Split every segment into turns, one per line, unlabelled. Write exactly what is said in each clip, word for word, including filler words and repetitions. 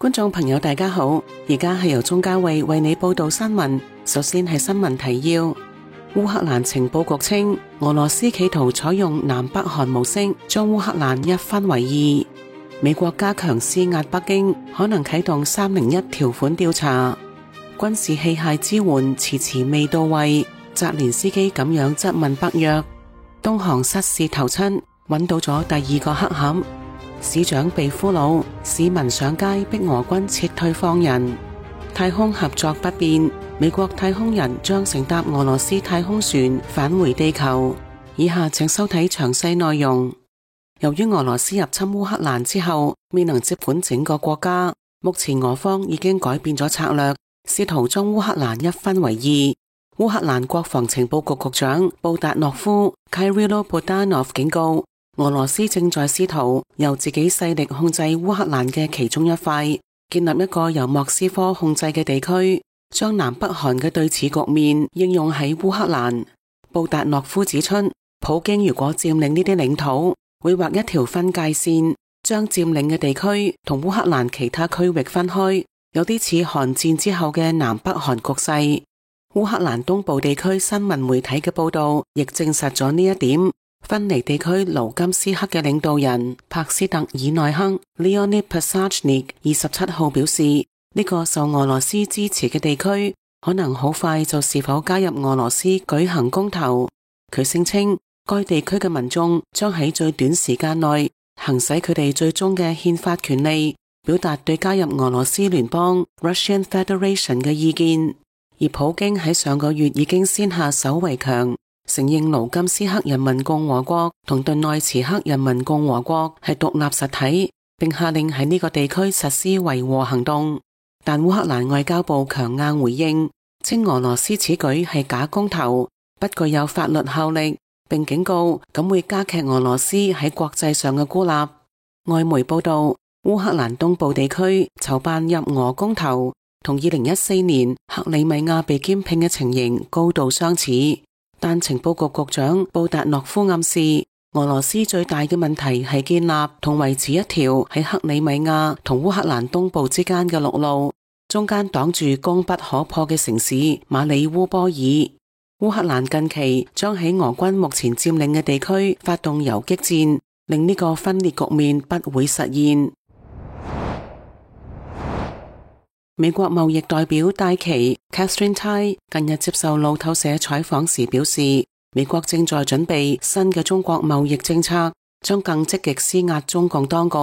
觀眾朋友大家好，而家係由鍾嘉慧為你報道新聞。首先係新聞提要：烏克蘭情報局稱，俄羅斯企圖採用南北韓模式，將烏克蘭一分為二。美國加強施壓北京，可能啟動三零一條款調查。軍事器械支援遲遲未到位，澤連斯基咁樣質問北約。東航失事頭七，揾到咗第二個黑盒。市長被俘虜，市民上街逼俄軍撤退放人。太空合作不變，美國太空人將乘搭俄羅斯太空船返回地球。以下請收睇詳細內容。由於俄羅斯入侵烏克蘭之後未能接管整個國家，目前俄方已經改變咗策略，試圖將烏克蘭一分為二。烏克蘭國防情報局局長布達諾夫 Kyrylo Budanov 警告，俄羅斯正在試圖由自己勢力控制烏克蘭嘅其中一塊，建立一個由莫斯科控制嘅地區，將南北韓嘅對峙局面應用喺烏克蘭。布達諾夫指出，普京如果佔領呢啲領土，會畫一條分界線，將佔領嘅地區同烏克蘭其他區域分開，有啲似韓戰之後嘅南北韓局勢。烏克蘭東部地區新聞媒體嘅報道亦證實咗呢一點。分離地區盧甘斯克嘅領導人帕斯特爾內克 Leonid Pasachnik 二十七號表示，呢、這個受俄羅斯支持嘅地區可能好快就是否加入俄羅斯舉行公投。佢聲稱，該地區嘅民眾將喺最短時間內行使佢哋最終嘅憲法權利，表達對加入俄羅斯聯邦 Russian Federation 嘅意見。而普京喺上個月已經先下手為強，承認盧甘斯克人民共和國同頓內茨克人民共和國係獨立實體，並下令喺呢個地區實施維和行動。但烏克蘭外交部強硬回應，稱俄羅斯此舉係假公投，不具有法律效力，並警告咁會加劇俄羅斯喺國際上嘅孤立。外媒報道，烏克蘭東部地區籌辦入俄公投，同二零一四年克里米亞被兼併嘅情形高度相似。但情報局局長布達諾夫暗示，俄羅斯最大嘅問題係建立同維持一條喺克里米亞同烏克蘭東部之間嘅陸路，中間擋住攻不可破嘅城市馬里烏波爾。烏克蘭近期將喺俄軍目前佔領嘅地區發動游擊戰，令呢個分裂局面不會實現。美國貿易代表戴琪 Catherine Tai 近日接受路透社採訪時表示，美國正在準備新嘅中國貿易政策，將更積極施壓中共當局。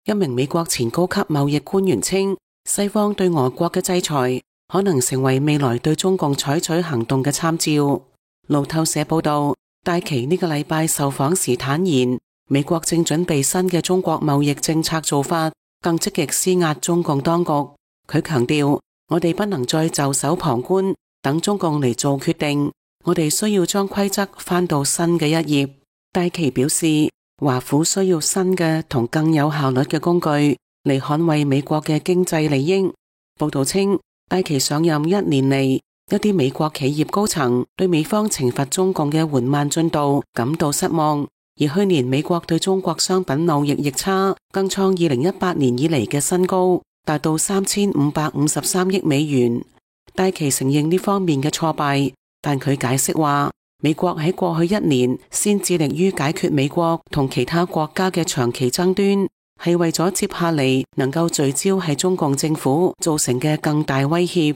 一名美國前高級貿易官員稱，西方對俄國嘅制裁可能成為未來對中共採取行動嘅參照。路透社報道，戴琪呢個禮拜受訪時坦言，美國正準備新嘅中國貿易政策做法，更積極施壓中共當局。佢強調，我哋不能再袖手旁觀，等中共嚟做決定。我哋需要將規則翻到新嘅一頁。戴琪表示，華府需要新嘅同更有效率嘅工具嚟捍衛美國嘅經濟利益。報道稱，戴琪上任一年嚟，一啲美國企業高層對美方懲罰中共嘅緩慢進度感到失望。而去年美國對中國商品貿易逆差更創二零一八年以嚟嘅新高，達到三千五百五十三億美元。戴琪承認呢方面嘅挫敗，但佢解釋話，美國喺過去一年先致力於解決美國同其他國家嘅長期爭端，係為咗接下嚟能夠聚焦喺中共政府造成嘅更大威脅。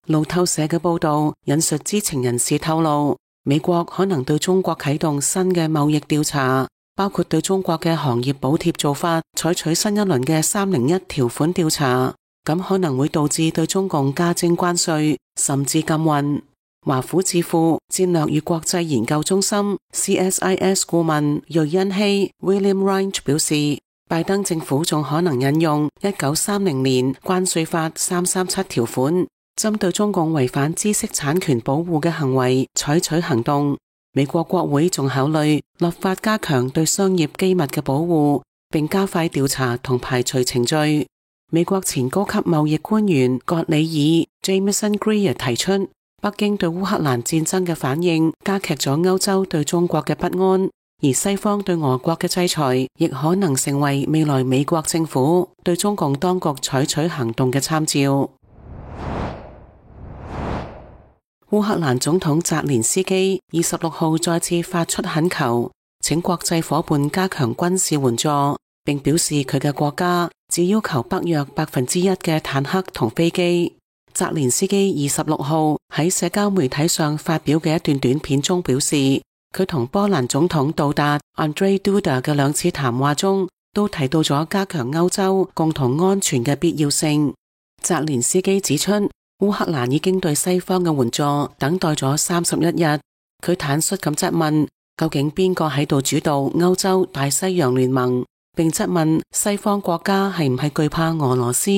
路透社嘅報道引述知情人士透露，美國可能對中國啟動新嘅貿易調查，包括對中國嘅行業補貼做法採取新一輪嘅三零一條款調查，咁可能會導致對中共加徵關稅，甚至禁運。華府智庫戰略與國際研究中心 C S I S 顧問瑞恩希 William Reich 表示，拜登政府仲可能引用一九三零年關稅法三三七條款，針對中共違反知識產權保護嘅行為採取行動。美國國會仲考慮立法加強對商業機密嘅保護，並加快調查同排除程序。美國前高級貿易官員葛里爾 Jameson Greer 提出，北京對烏克蘭戰爭嘅反應加劇咗歐洲對中國嘅不安，而西方對俄國嘅制裁亦可能成為未來美國政府對中共當局採取行動嘅參照。烏克蘭總統澤連斯基二十六號再次發出懇求，請國際夥伴加強軍事援助，並表示佢嘅國家只要求北約百分之一嘅坦克同飛機。澤連斯基二十六號喺社交媒體上發表嘅一段短片中表示，佢同波蘭總統杜達 Andrzej Duda 嘅兩次談話中，都提到咗加強歐洲共同安全嘅必要性。澤連斯基指出，烏克蘭已經對西方嘅援助等待咗三十一日。佢坦率咁質問，究竟邊個喺度主導歐洲大西洋聯盟，並質問西方國家係唔係懼怕俄羅斯。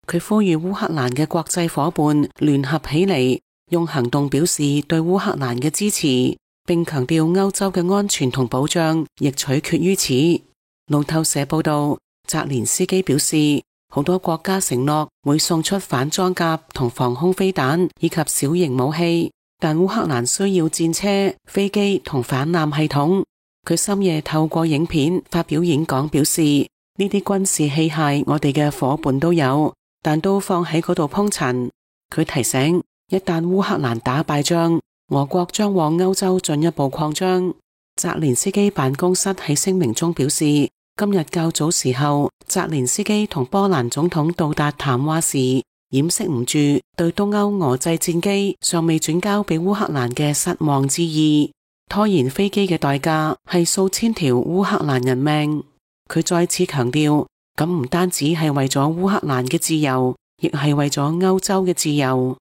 佢呼籲烏克蘭嘅國際夥伴聯合起嚟，用行動表示對烏克蘭嘅支持，並強調歐洲嘅安全同保障亦取決於此。路透社報道，澤連斯基表示，好多國家承諾會送出反裝甲同防空飛彈以及小型武器，但烏克蘭需要戰車、飛機同反艦系統。佢深夜透過影片發表演講，表示呢啲軍事器械我哋嘅夥伴都有，但都放喺嗰度鋪陳。佢提醒，一旦烏克蘭打敗仗，俄國將往歐洲進一步擴張。澤連斯基辦公室喺聲明中表示，今日較早時候，澤連斯基同波蘭總統杜達談話時，掩飾唔住對東歐俄製戰機尚未轉交俾烏克蘭嘅失望之意。拖延飛機嘅代價係數千條烏克蘭人命。佢再次強調，咁唔單止係為咗烏克蘭嘅自由，亦係為咗歐洲嘅自由。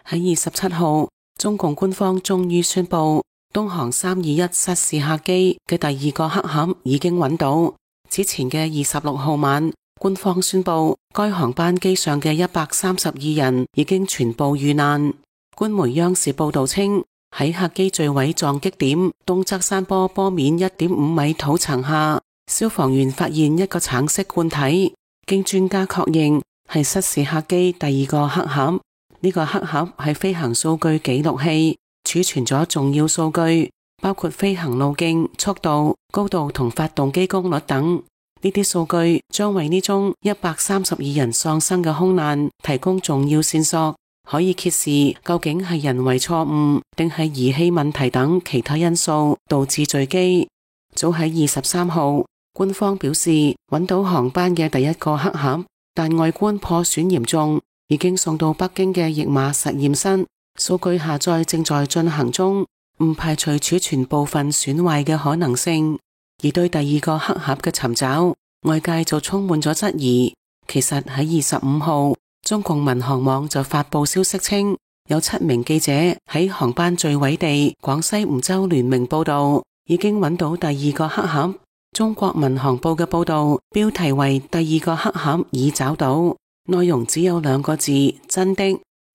喺二十七號，中共官方終於宣布，東航三二一失事客機嘅第二個黑盒已經揾到。之前嘅二十六號晚，官方宣布該航班機上嘅一百三十二人已經全部遇難。官媒央視報道稱，喺客機墜毀撞擊點東側山坡坡面一點五米土層下，消防員發現一個橙色罐體，經專家確認係失事客機第二個黑盒。呢個黑盒係飛行數據記錄器，儲存咗重要數據，包括飛行路徑、速度、高度同發動機功率等。呢啲數據將為呢宗一百三十二人喪生嘅空難提供重要線索，可以揭示究竟係人為錯誤定係儀器問題等其他因素導致墜機。早喺二十三號，官方表示揾到航班嘅第一個黑盒，但外觀破損嚴重，已經送到北京嘅譯碼實驗室，數據下載正在進行中，唔排除儲存部分損壞嘅可能性。而對第二個黑盒嘅尋找，外界就充滿咗質疑。其實喺二十五號，中共民航網就發布消息稱，有七名記者喺航班墜毀地廣西梧州聯名報道，已經揾到第二個黑盒。中國民航報嘅報道標題為第二個黑盒已找到，內容只有兩個字：真的。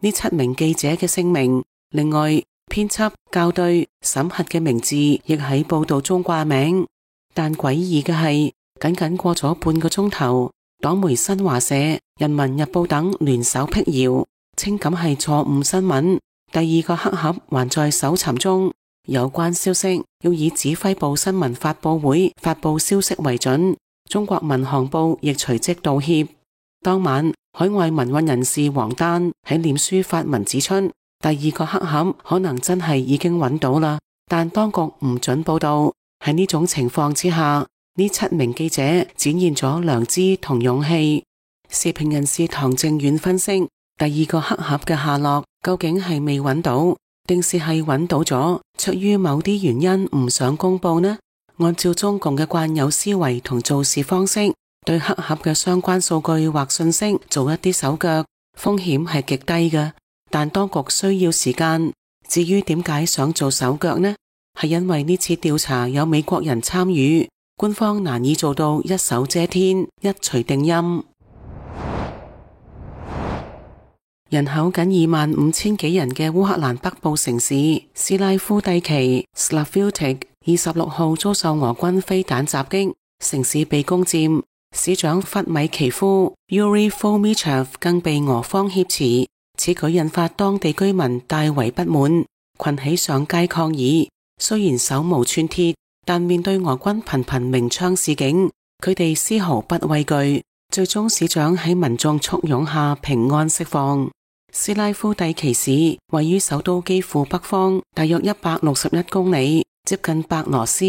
呢七名記者嘅姓名，另外編輯、校對、審核嘅名字亦喺報道中掛名。但詭異嘅係，僅僅過咗半個鐘頭，黨媒新華社、人民日報等聯手闢謠，稱咁係錯誤新聞，第二個黑盒還在搜尋中。有關消息要以指揮部新聞發佈會發佈消息為準。中國民航報亦隨即道歉。當晚，海外民運人士王丹喺臉書發文指出，第二個黑盒可能真係已經揾到啦，但當局唔准報道。喺呢種情況之下，呢七名記者展現咗良知同勇氣。時評人士唐正遠分析，第二個黑盒嘅下落究竟係未揾到，定是係揾到咗，出於某啲原因唔想公佈呢？按照中共嘅慣有思維同做事方式，對黑盒嘅相關數據或信息做一啲手腳，風險係極低嘅，但當局需要時間。至於點解想做手腳呢？係因為呢次調查有美國人參與，官方難以做到一手遮天、一錘定音。人口僅二萬五千幾人嘅烏克蘭北部城市斯拉夫蒂奇 Slavutych 二十六號遭受俄軍飛彈襲擊，城市被攻佔，市長弗米奇夫 Yuri Fomichev 更被俄方挾持，此舉引發當地居民大為不滿。群起上街抗議。雖然手無寸鐵，但面對俄軍頻頻鳴槍示警，佢哋絲毫不畏懼。最終市長喺民眾簇擁下平安釋放。斯拉夫蒂奇市位於首都基輔北方，大約一百六十一公里，接近白羅斯。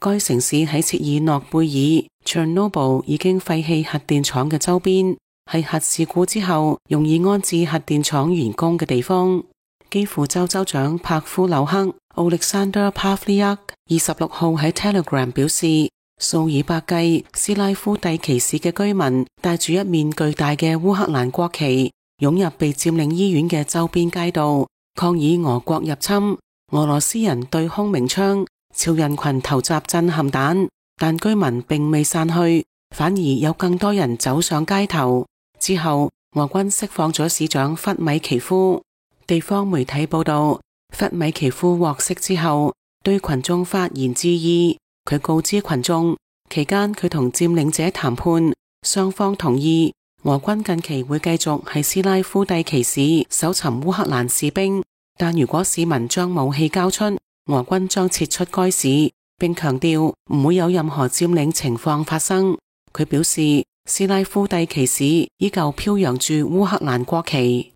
該城市喺切爾諾貝爾 （Chernobyl） 已經廢棄核電廠嘅周邊，係核事故之後容易安置核電廠員工嘅地方。基輔州州長帕夫紐克 （Oleksandr Pavliuk） 二十六號喺 Telegram 表示，數以百計斯拉夫蒂奇市嘅居民帶住一面巨大嘅烏克蘭國旗，湧入被佔領醫院嘅周邊街道，抗議俄國入侵。俄羅斯人對空鳴槍，朝人群投擲震撼彈，但居民並未散去，反而有更多人走上街頭。之後，俄軍釋放咗市長弗米奇夫。地方媒體報道，弗米奇夫獲釋之後，對群眾發言致意。佢告知群眾，期間佢同佔領者談判，雙方同意俄軍近期會繼續喺斯拉夫蒂奇市搜尋烏克蘭士兵，但如果市民將武器交出，俄軍將撤出該市，並強調唔會有任何佔領情況發生。佢表示，斯拉夫蒂奇市依舊飄揚住烏克蘭國旗。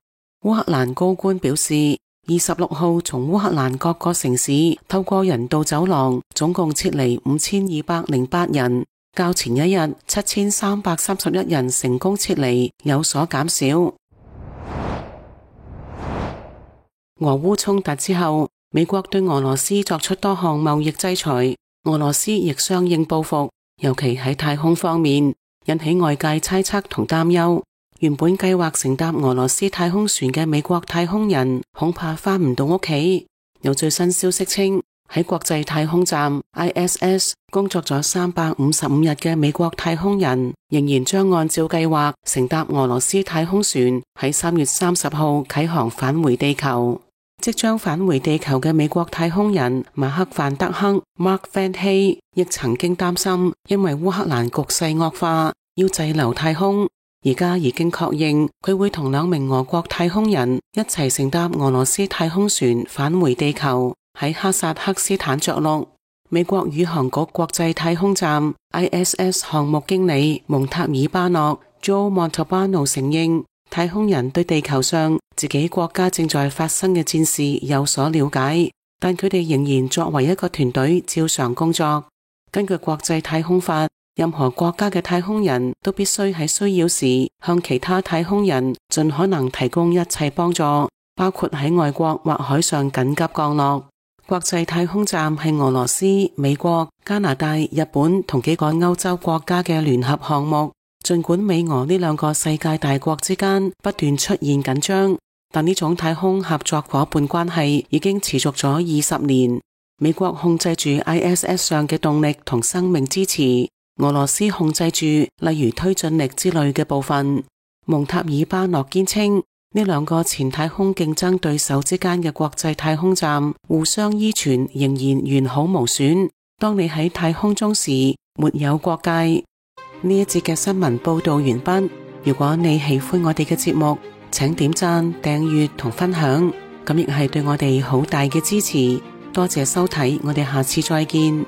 烏克蘭高官表示，二十六號從烏克蘭各個城市透過人道走廊，總共撤離五千二百零八人，較前一日七千三百三十一人成功撤離有所減少。俄烏衝突之後，美國對俄羅斯作出多項貿易制裁，俄羅斯亦相應報復，尤其喺太空方面，引起外界猜測同擔憂。原本計劃乘搭俄羅斯太空船嘅美國太空人恐怕返唔到屋企。有最新消息稱，喺國際太空站 I S S 工作咗三百五十五日嘅美國太空人，仍然將按照計劃乘搭俄羅斯太空船喺三月三十號啟航返回地球。即將返回地球嘅美國太空人馬克范德克 Mark Van Hey 亦曾經擔心，因為烏克蘭局勢惡化，要滯留太空。而家已經確認佢會同兩名俄國太空人一齊乘搭俄羅斯太空船返回地球，喺哈薩克斯坦着陸。美國宇航局國際太空站 I S S 項目經理蒙塔爾巴諾 Joe Montalbano 承認，太空人對地球上自己國家正在發生嘅戰事有所了解，但佢哋仍然作為一個團隊照常工作。根據國際太空法，任何國家嘅太空人都必須喺需要時向其他太空人盡可能提供一切幫助，包括喺外國或海上緊急降落。國際太空站係俄羅斯、美國、加拿大、日本同幾個歐洲國家嘅聯合項目。盡管美俄呢兩個世界大國之間不斷出現緊張，但呢種太空合作夥伴關係已經持續咗二十年。美國控制住 I S S 上嘅動力同生命支持，俄羅斯控制住例如推進力之類嘅部分。蒙塔爾巴諾堅稱，呢兩個前太空競爭對手之間嘅國際太空站互相依存，仍然完好無損。當你喺太空中時，沒有國界。呢一節嘅新聞報道完畢。如果你喜歡我哋嘅節目，請點讚、訂閱同分享，咁亦係對我哋好大嘅支持。多謝收睇，我哋下次再見。